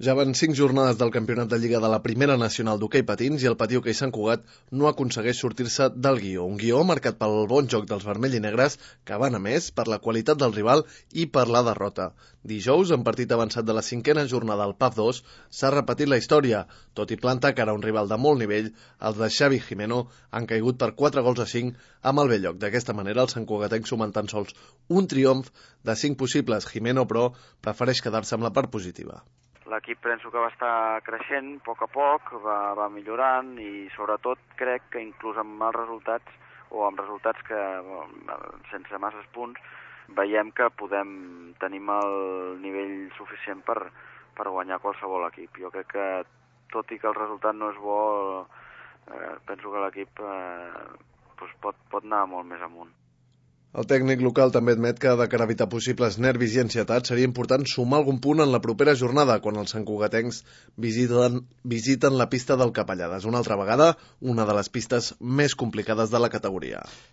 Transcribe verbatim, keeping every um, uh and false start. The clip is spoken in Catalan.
Ja van cinc jornades del campionat de Lliga de la Primera Nacional d'Hoquei Patins i el Patí Hoquei Sant Cugat no aconsegueix sortir-se del guió. Un guió marcat pel bon joc dels vermells i negres, que van a més per la qualitat del rival i per la derrota. Dijous, en partit avançat de la cinquena jornada al P A F dos, s'ha repetit la història. Tot i plantar cara a un rival de molt nivell, els de Xavi Gimeno han caigut per quatre gols a cinc amb el bell lloc. D'aquesta manera, els santcugatencs sumen tan sols un triomf de cinc possibles. Gimeno, però, prefereix quedar-se amb la part positiva. L'equip penso que va estar creixent a poc a poc, va, va millorant i sobretot crec que inclús amb mals resultats o amb resultats que sense masses punts veiem que podem tenim el nivell suficient per, per guanyar qualsevol equip. Jo crec que tot i que el resultat no és bo, eh, penso que l'equip eh, doncs pot, pot anar molt més amunt. El tècnic local també admet que de cara a evitar possibles nervis i ansietats seria important sumar algun punt en la propera jornada quan els santcugatencs visiten, visiten la pista del Capellades, una altra vegada una de les pistes més complicades de la categoria.